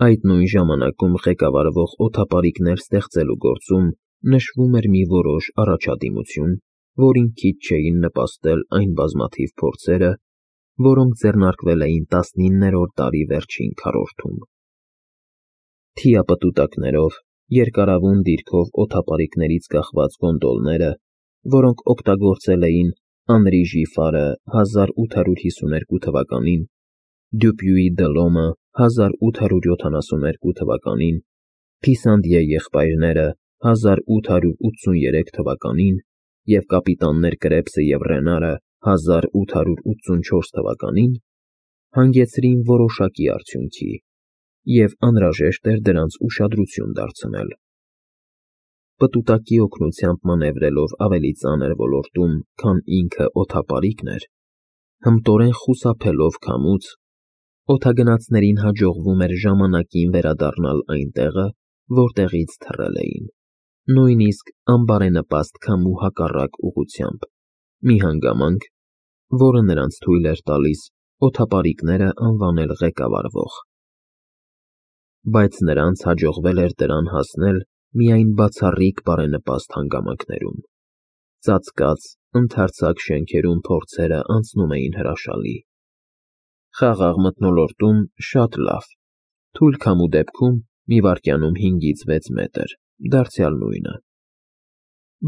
Այդ նույն ժամանակում ղեկավարվող օդապարիկներ ստեղծելու գործում նշվում էր մի որոշ առաջադիմություն, որին քիչ չէին նպաստել այն բազմաթիվ փորձերը, որոնք ձեռնարկվել էին 19-րդ դարի վերջին քառորդում։ Թիապտուտակներով, երկարավուն դիրքով օդապարիկներից կախված գոնդոլները, որոնք օգտագործել էին Անրի Ժիֆարը 1852 թվականին, Դյուպյուի Դելոմը 1872 թվականին, Փիսանդիե եղբայրները 1883 թվականին և կապիտաններ Կրեպսը և Ռենարը 1884 թվականին հանգեցրին որոշակի արդյունքի, և անհրաժեշտ էր դրանց ուշադրություն դարձնել։ Պտուտակի օգնությամբ մանևրելով ավելի ծանր ոլորտում, քան ինքը օդապարիկն էր, հմտորեն խուսափելով քամուց, օդագնացներին հաջողվում էր ժամանակին վերադառնալ այն տեղը, որտեղից թռել էին, նույնիսկ անբարենպաստ քամու հակառակ ուղղությամբ, մի հանգամանք, որը նրանց թույլ էր տալիս օդապարիկները անվանել ղեկավարվող։ Բայց նրանց հաջողվել էր դրան հասնել միայն բացառիկ բարենպաստ հանգամանքներում։ Ծածկած, ընդարձակ շենքերում փորձերը անցնում էին հրաշալի։ Խաղաղ մթնոլորտում շատ լավ, թույլ քամու դեպքում մի վայրկյանում 5-ից 6 մետր, դարձյալ նույնը։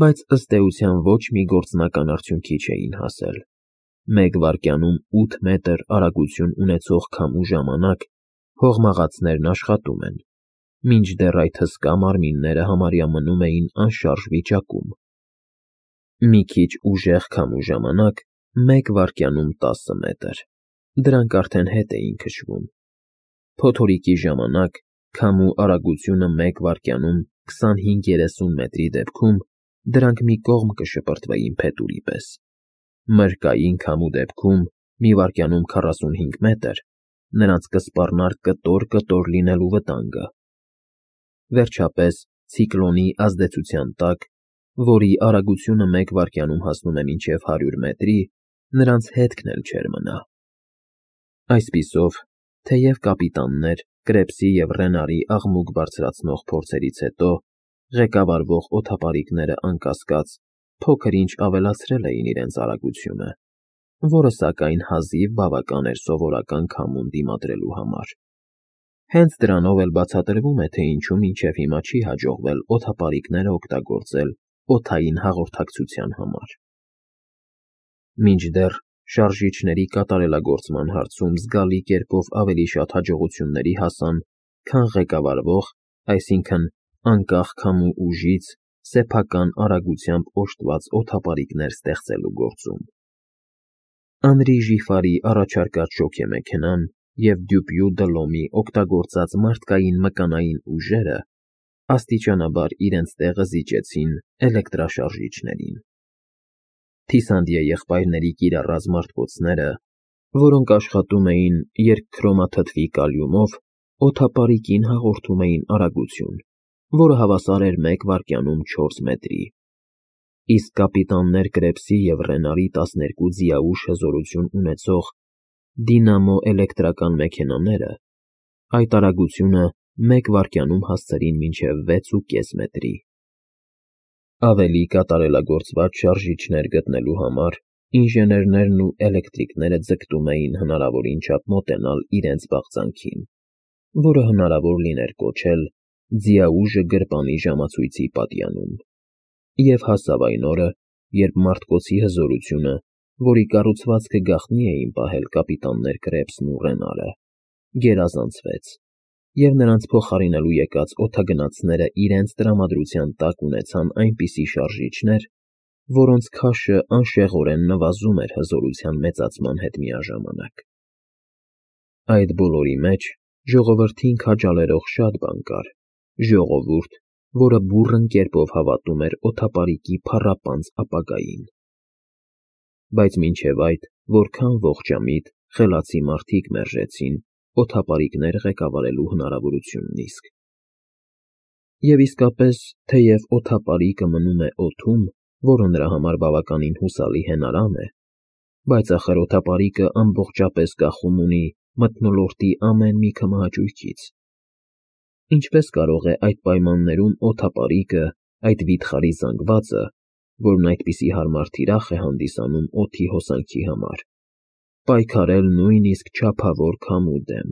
Բայց ըստ էության ոչ մի գործնական արդյունքի չէին հասել։ 1 վայրկյանում 8 մետր արագություն ունեցող քամու ժամանակ հողմաղացներն աշխատում են, մինչդեռ այդ հսկա մարմինները համարյա մնում էին անշարժ վիճակում։ Մի քիչ ուժեղ քամու ժամանակ 1 վայրկյանում 10 մետր, դրանք արդեն հետ էին քշվում։ Փոթորիկի ժամանակ քամու արագությունը 1 վայրկյանում 25-30 մետրի դեպքում դրանք մի կողմ կշպրտվեին փետուրի պես։ Մրրկային քամու դեպքում մի վայրկյանում 45 մետր նրանց կսպառնար կտոր լինելու վտանգը։ Վերջապես, ցիկլոնի ազդեցության տակ, որի արագությունը 1 վայրկյանում հասնում է մինչև 100 մետրի, նրանց հետքն էլ չէր մնա։ Այսպիսով, թեև կապիտաններ Կրեպսի և Ռենարի աղմուկ բարձրացնող փորձերից հետո ղեկավարվող օդապարիկները անկասկած փոքր-ինչ ավելացրել էին իրենց արագությունը, որը սակայն հազիվ բավական էր սովորական քամուն դիմադրելու համար։ Հենց դրանով էլ բացատրվում է, թե ինչու մինչև հիմա չի հաջողվել օդապարիկները օգտագործել օդային հաղորդակցության համար։ Մինչդեռ շարժիչների կատարելագործման հարցում զգալի կերպով ավելի շատ հաջողությունների հասան, քան ղեկավարվող, այսինքն անկախ քամու ուժից սեփական արագությամբ օժտված օդապարիկներ ստեղծելու գործում։ Անրի Ժիֆարի առաջարկած շոգեմեքենան և Դյուպյու Դլոմի օգտագործած մարդկային մկանային ուժերը աստիճանաբար իրենց տեղը զիջեցին էլեկտրաշարժիչներին։ Թիսանդիե եղբայրների կիրառած մարտկոցները, որոնք աշխատում էին երկքրոմաթթվի կալիումով, օդապարիկին հաղորդում էին արագություն, որը հավասար էր 1 վայրկյանում 4 մետրի, իսկ կապիտաններ Կրեպսի և Ռենարի 12 ձիաուժ հզորություն ունեցող դինամո էլեկտրական մեքենաները այդ արագությունը 1 վայրկյանում հասցրին մինչև 6,5 մետրի։ Ավելի կատարելագործված շարժիչներ գտնելու համար ինժեներներն ու էլեկտրիկները ձգտում էին հնարավորին չափ մոտենալ իրենց բաղձանքին, որը հնարավոր լիներ կոչել ձիաուժը գրպանի ժամացույցի պատյանում։ Եվ հասավ այն օրը, երբ մարտկոցի հզորությունը, որի կառուցվածքը գաղտնի էին պահել կապիտաններ Կրեպսն ու Ռենարը, գերազանցվեց, և նրանց փոխարինելու եկած օդագնացները իրենց տրամադրության տակ ունեցան այնպիսի շարժիչներ, որոնց քաշը անշեղորեն նվազում էր հզորության մեծացման հետ միաժամանակ։ Այդ բոլորի մեջ ժողովրդին քաջալերող շատ բան կար, ժողովուրդ, որը բուռն կերպով հավատում էր օդապարիկի փառապանծ ապագային։ Բայց մինչև այդ որքան ողջամիտ, խելացի մարդիկ մերժեցին օդապարիկներ ղեկավարելու հնարավորությունն իսկ։ Եվ իսկապես, թեև օդապարիկը մնում է օդում, որը նրա համար բավականին հուսալի հենարան է, բայց ախր օդապարիկը ամբողջապես կախում ունի մթնոլորտի ամեն մի քմահաճույքից, Ինչպես կարող է այդ պայմաններում օդապարիկը, այդ վիթխարի զանգվածը, որն այդպիսի հարմար թիրախ է հանդիսանում օդի հոսանքի համար, պայքարել նույնիսկ չափավոր քամու դեմ,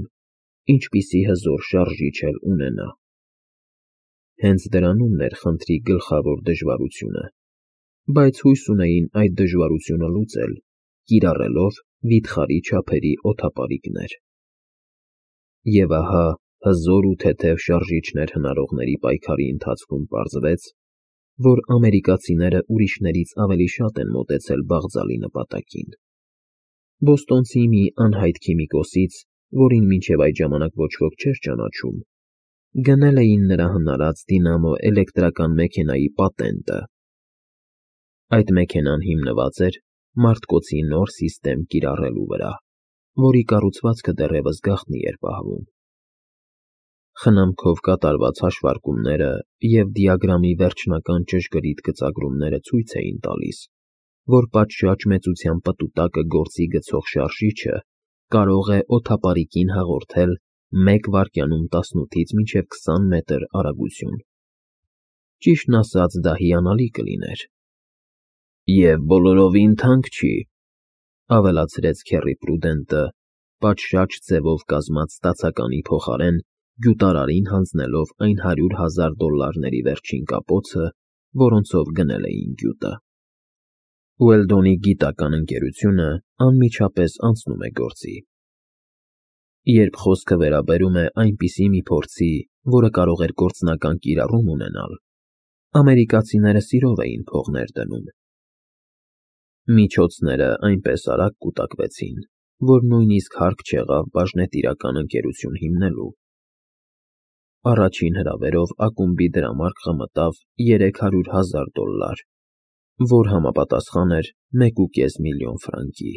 ինչպիսի հզոր շարժիչ էլ ունենա։ Հենց դրանումն էր խնդրի գլխավոր դժվարությունը, բայց հույս ունեին այդ դժվարությունը լուծել, կիրառելով վիթխարի չափերի օդապարիկներ։ Եվ ահա հզոր ու թեթև շարժիչներ հնարողների պայքարի ընթացքում պարզվեց, որ ամերիկացիները ուրիշներից ավելի շատ են մոտեցել բաղձալի նպատակին։ Բոստոնցի մի անհայտ քիմիկոսից, որին մինչև այդ ժամանակ ոչ ոք չէր ճանաչում, գնել էին նրա հնարած դինամո էլեկտրական մեքենայի պատենտը։ Այդ մեքենան հիմնված էր մարդկոցի նոր սիստեմ կիրառելու վրա, որի կառուցվածքը դեռևս գաղտնի էր պահվում։ Խնամքով կատարված հաշվարկումները և դիագրամի վերջնական ճշգրիտ գծագրումները ցույց էին տալիս, որ պատշաճ մեծության պտուտակը գործի գցող շարժիչը կարող է օդապարիկին հաղորդել 1 վայրկյանում 18-ից մինչև 20 մետր արագություն։ Ճիշտն ասած, դա հիանալի կլիներ։ Եվ բոլորովին թանկ չի, ավելացրեց Քեռի Պրուդենտը, պատշաճ ձևով կազմած ստացականի փոխարեն գյուտարարին հանձնելով այն $100,000 վերջին կապոցը, որոնցով գնել էին գյուտը։ Ուելդոնի գիտական ընկերությունը անմիջապես անցնում է գործի։ Երբ խոսքը վերաբերում է այնպիսի մի փորձի, որը կարող էր գործնական կիրառում ունենալ, ամերիկացիները սիրով էին փողներ դնում։ Միջոցները այնպես արագ կուտակվեցին, որ նույնիսկ հարկ չեղավ բաժնետիրական ընկերություն հիմնելու։ Առաջին հրավերով ակումբի դրամարկղը մտավ $300,000, որ համապատասխան էր 1,5 միլիոն ֆրանկի։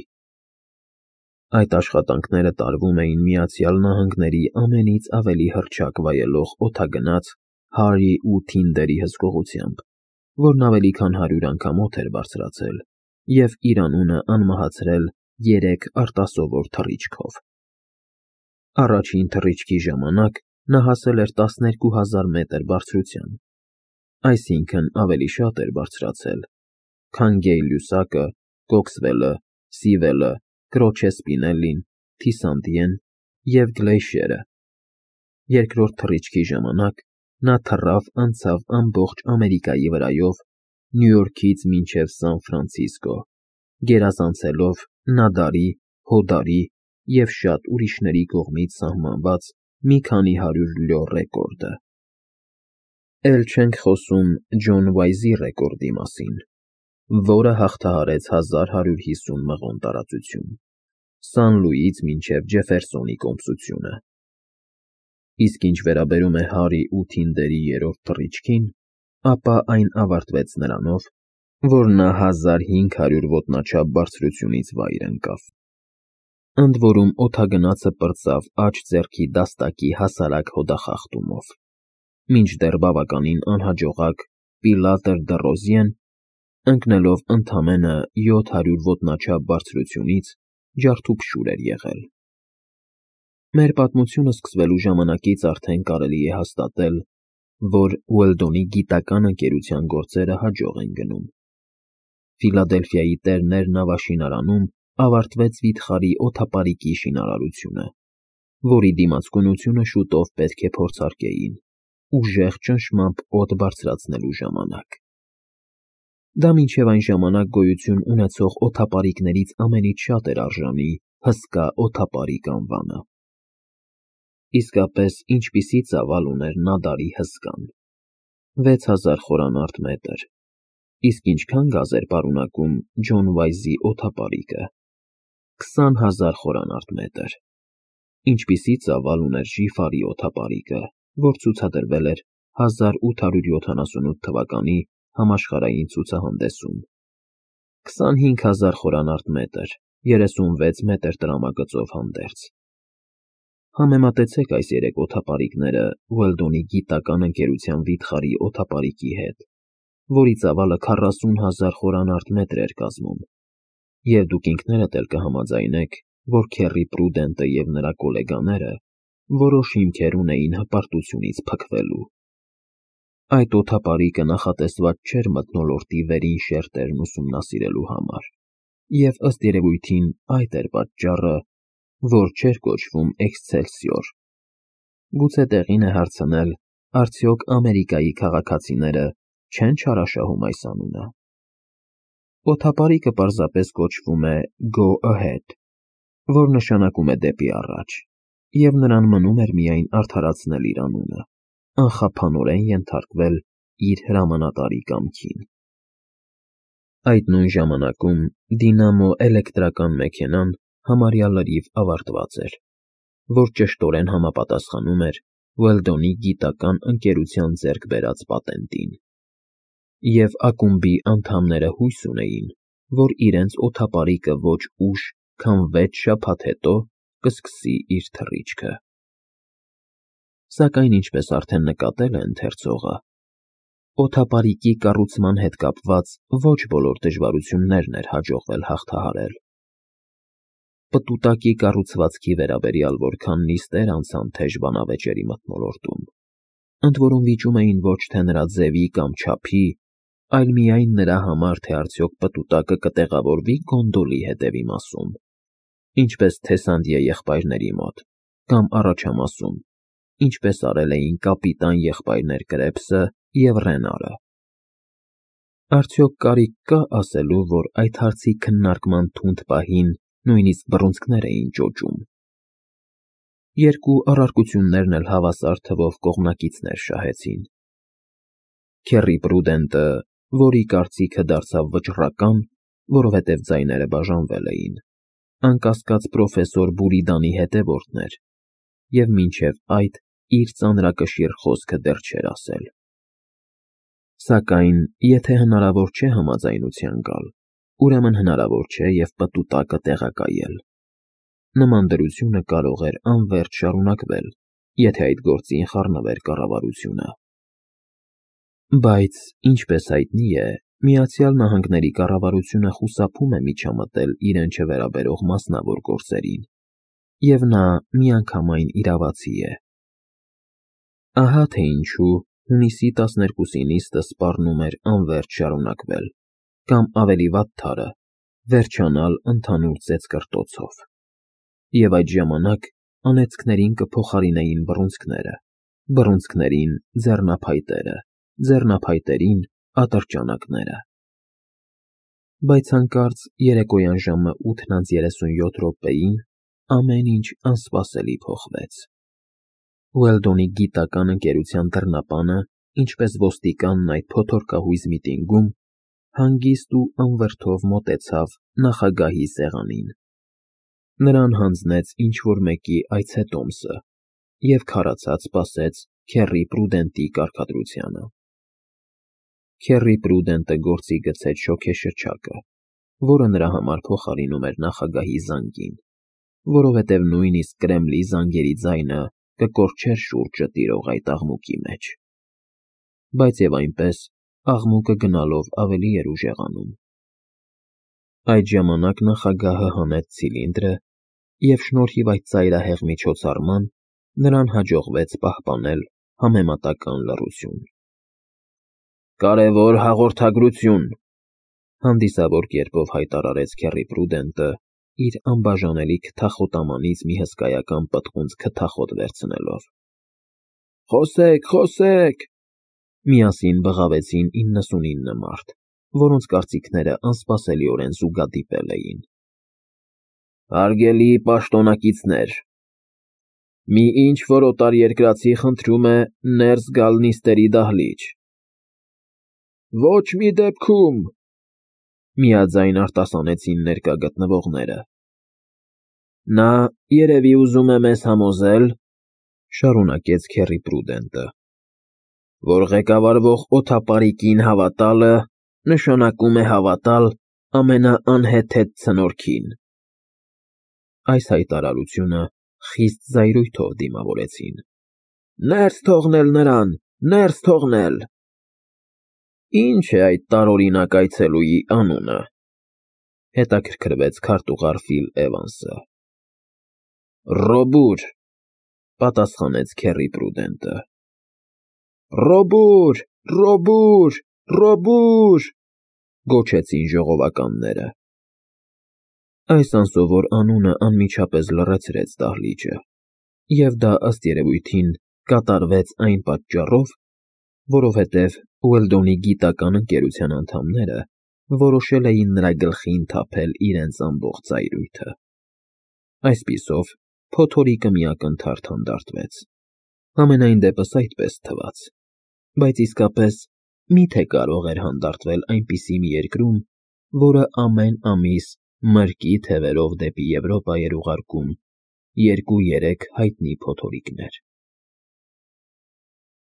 Այդ աշխատանքները տարվում էին Միացյալ Նահանգների ամենից ավելի հռչակ վայելող օդագնաց Հարրի ու Թինդերի հսկողությամբ, որն ավելի քան 100 անգամ օդ էր բարձրացել և իր անունը անմահացրել 3 արտասովոր թռիչքով։ Առաջին թռիչքի ժամանակ նա հասել էր 12,000 մետր բարձրության, այսինքն ավելի շատ էր բարձրացել, քան Գեյ-Լյուսակը, Կոքսվելը, Սիվելը, Կրոչե Սպինելլին, Թիսանդիեն և Գլեյշերը։ Երկրորդ թռիչքի ժամանակ նա թռավ անցավ ամբողջ Ամերիկայի վրայով Նյու Յորքից մինչև Սան Ֆրանցիսկո, գերազանցելով Նադարի, Հոդարի և շատ ուրիշների կողմից սահմանված մի քանի 100 լյո ռեկորդը։ Էլ չենք խոսում Ջոն Վայզի ռեկորդի մասին, որը հաղթահարեց 1150 մղոն տարածություն, Սան Լուիից մինչև Ջեֆերսոնի կոմսությունը։ Իսկ ինչ վերաբերում է Հարրի ու Թինդերի երրորդ թռիչքին, ապա այն ավարտվեց նրանով, որ նա 1500 ոտնաչափ բարձրությունից վայր ընկավ։ Ընդ որում օդագնացը պրծավ աջ ձեռքի դաստակի հասարակ հոդախախտումով, մինչդեռ բավականին անհաջողակ Պիլատր դը Ռոզիեն, ընկնելով ընդամենը 700 ոտնաչափ բարձրությունից, ջարդուփշուր էր եղել։ Մեր պատմությունը սկսվելու ժամանակից արդեն կարելի է հաստատել, որ Ուելդոնի գիտական ընկերության գործերը հաջող են գնում։ Ֆիլադելֆիայի Տերներ նավաշինարանում ավարտվեց վիթխարի օդապարիկի շինարարությունը, որի դիմացկունությունը շուտով պետք է փորձարկեին, ուժեղ ճնշմամբ օդ բարձրացնելու ժամանակ։ Դա մինչև այն ժամանակ գոյություն ունեցող օդապարիկներից ամենից շատ էր արժանի հսկա օդապարիկ անվանը։ Իսկապես, ինչպիսի ծավալ ուներ Նադարի հսկան։ 6000 խորանարդ մետր։ Իսկ ինչքան գազ էր պարունակում Ջոն Վայզի օդապարիկը։ 20,000 խորանարդ մետր։ Ինչպիսի ծավալ ուներ Ժիֆարի օդապարիկը, որ ցուցադրվել էր 1878 թվականի համաշխարհային ցուցահանդեսում։ 25,000 խորանարդ մետր, 36 մետր տրամագծով հանդերձ։ Համեմատեցեք այս երեք օդապարիկները Ուելդոնի գիտական ընկերության վիթխարի օդապարիկի հետ, որի ծավալը 40,000 խորանարդ մետր էր կազմում, և դուք ինքներդ էլ կհամաձայնեք, որ Քեռի Պրուդենտը և նրա գոլեգաները որոշ հիմքեր ունեին հպարտությունից փքվելու։ Այդ օդապարիկը նախատեսված չէր մթնոլորտի վերին շերտերն ուսումնասիրելու համար, և ըստ երևույթին այդ էր պատճառը, որ չէր կոչվում Էքսցելսիոր։ Գուցե տեղին է հարցնել, արդյոք Ամերիկայի քաղաքացիները չեն չարաշահում այս անունը։ Օդապարիկը պարզապես կոչվում է Go Ahead, որ նշանակում է դեպի առաջ, և նրան մնում էր միայն արդարացնել իր անունը, անխափանորեն ենթարկվել իր հրամանատարի կամքին։ Այդ նույն ժամանակում դինամո էլեկտրական մեքենան համարյա լրիվ ավարտված էր, որ ճշտորեն համապատասխանում էր Ուելդոնի գիտական ընկերության ձեռք բերած պատենտին, և ակումբի անդամները հույս ունեին, որ իրենց օդապարիկը ոչ ուշ, քան 6 շաբաթ հետո կսկսի իր թռիչքը։ Սակայն, ինչպես արդեն նկատել է ընթերցողը, օդապարիկի կառուցման հետ կապված ոչ բոլոր դժվարություններն էր հաջողվել հաղթահարել։ Պտուտակի կառուցվածքի վերաբերյալ որքան նիստեր անցան թեժ բանավեճերի մթնոլորտում, ընդ որում վիճում էին ոչ թե նրա ձևի կամ չափի, այլ միայն նրա համար, թե արդյոք պտուտակը կտեղավորվի գոնդոլի հետևի մասում, ինչպես Թեսանդիե եղբայրների մոտ, կամ առաջամասում, ինչպես արել էին կապիտան եղբայրներ Կրեպսը և Ռենարը։ Արդյոք կարիք կա ասելու, որ այդ հարցի քննարկման թունդ պահին նույնիսկ բռունցքներ էին ճոճում։ Երկու առարկություններն էլ հավասար թվով կողմնակիցներ շահեցին։ Քեռի Պրուդենտը, որի կարծիքը դարձավ վճռական, որովհետև ձայները բաժանվել էին, անկասկած պրոֆեսոր Բուրիդանի հետևորդն էր, և մինչև այդ իր ծանրակշիռ խոսքը դեռ չէր ասել։ Սակայն, եթե հնարավոր չէ համաձայնության գալ, ուրեմն հնարավոր չէ և պտուտակը տեղակայել։ Նման դրությունը կարող էր անվերջ շարունակվել, եթե այդ գործին խառնվեր կառավարությունը։ Բայց, ինչպես հայտնի է, Միացյալ Նահանգների կառավարությունը խուսափում է միջամտել իրեն չվերաբերող մասնավոր գործերին, և նա միանգամայն իրավացի է։ Ահա թե ինչու հունիսի 12-ի նիստը սպառնում էր անվերջ շարունակվել, կամ ավելի վատ թարը, վերջանալ ընդհանուր ծեծկռտոցով։ Եվ այդ ժամանակ անեծքներին կփոխարինեին բռունցքները, բռունցքներին ձեռնափայտերը, ձեռնափայտերին ատրճանակները։ Բայց հանկարծ երեկոյան ժամը 8:37 ամեն ինչ անսպասելի փոխվեց։ Ուելդոնի գիտական ընկերության դռնապանը, ինչպես ոստիկանն այդ փոթորկահույզ միտինգում, հանգիստ ու անվրդով մոտեցավ նախագահի սեղանին։ Նրան հանձնեց ինչ-որ մեկի այցետոմսը և քարացած սպասեց Քեռի Պրուդենտի կարգադրությանը։ Քեռի Պրուդենտը գործի գցեց շոգեշրջակը, որը նրա համար փոխարինում էր նախագահի զանգին, որովհետև նույնիսկ Կրեմլի զանգերի ձայնը կկորչեր շուրջը տիրող այդ աղմուկի մեջ։ Բայց և այնպես, աղմուկը գնալով ավելի էր ուժեղանում։ Այդ ժամանակ նախագահը հանեց ցիլինդրը, և շնորհիվ այդ ծայրահեղ միջոցառման նրան հաջողվեց պահպանել համեմատական լռություն։ «Կարևոր հաղորդագրություն», հանդիսավոր կերպով հայտարարեց Քեռի Պրուդենտը, իր անբաժանելի քթախոտամանից մի հսկայական պտղունց քթախոտ վերցնելով։ «Խոսեք, խոսեք», միասին բղավեցին 99 մարդ, որոնց կարծիքները անսպասելիորեն զուգադիպել էին։ «Հարգելի պաշտոնակիցներ, մի ինչ-որ օտարերկրացի խնդրում է ներս գալ նիստերի դահլիճ»։ «Ոչ մի դեպքում», միաձայն արտասանեցին ներկա գտնվողները։ «Նա, երևի, ուզում է մեզ համոզել», շարունակեց Քեռի Պրուդենտը, «որ ղեկավարվող օդապարիկին հավատալը նշանակում է հավատալ ամենաանհեթեթ ցնորքին»։ Այս հայտարարությունը խիստ զայրույթով դիմավորեցին։ «Ներս թողնել նրան, ներս թողնել»։ «Ինչ է այդ տարօրինակ այցելուի անունը», հետաքրքրվեց քարտուղար Ֆիլ Էվանսը։ «Ռոբուր», պատասխանեց Քեռի Պրուդենտը։ Ռոբուր, Ռոբուր, Ռոբուր, գոչեցին ժողովականները։ Այս անսովոր անունը անմիջապես լռեցրեց դահլիճը, և դա, ըստ երևույթին, կատարվեց այն պատճառով, որովհետև Ուելդոնի գիտական ընկերության անդամները որոշել էին նրա գլխին թափել իրենց ամբողջ ծայրույթը։ Այսպիսով, փոթորիկը մի ակնթարթ հանդարտվեց։ Համենայն դեպս այդպես թվաց, բայց իսկապես մի՞թե կարող էր հանդարտվել այնպիսի մի երկրում, որը ամեն ամիս մրրկի թևերով դեպի Եվրոպա էր ուղարկում 2-3 հայտնի փոթորիկներ։